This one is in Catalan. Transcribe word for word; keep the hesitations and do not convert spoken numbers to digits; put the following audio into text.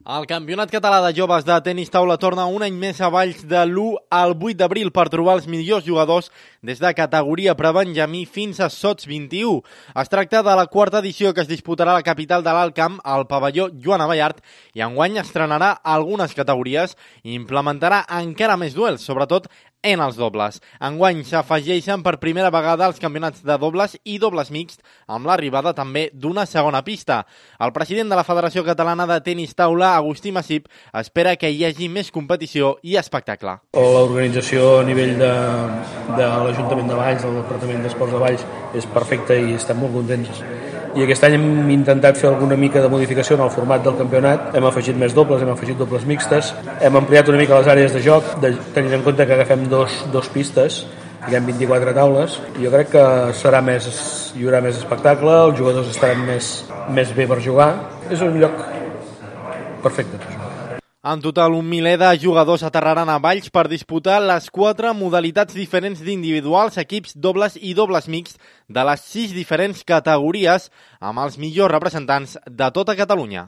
El Campionat Català de Joves de Tenis Taula torna un any més a Valls de l'u al vuit d'abril per trobar els millors jugadors des de categoria prebenjamí fins a sots vint-i-u. Es tracta de la quarta edició que es disputarà a la capital de l'Alt Camp, al pavelló Joan Abellart, i enguany estrenarà algunes categories i implementarà encara més duels, sobretot en els dobles. Enguany s'afegeixen per primera vegada els campionats de dobles i dobles mixt, amb l'arribada també d'una segona pista. El president de la Federació Catalana de Tenis Taula, Agustí Massip, espera que hi hagi més competició i espectacle. L'organització a nivell de, de l'Ajuntament de Valls, del Departament d'Esports de Valls, és perfecta i estem molt contents. I aquest any hem intentat fer alguna mica de modificació en el format del campionat. Hem afegit més dobles, hem afegit dobles mixtes, hem ampliat una mica les àrees de joc, de, tenint en compte que agafem dos, dos pistes, hi ha vint-i-quatre taules. Jo crec que serà més, hi haurà més espectacle, els jugadors estaran més, més bé per jugar. És un lloc perfecte per jugar. En total, un miler de jugadors aterraran a Valls per disputar les quatre modalitats diferents d'individuals, equips, dobles i dobles mixts de les sis diferents categories amb els millors representants de tota Catalunya.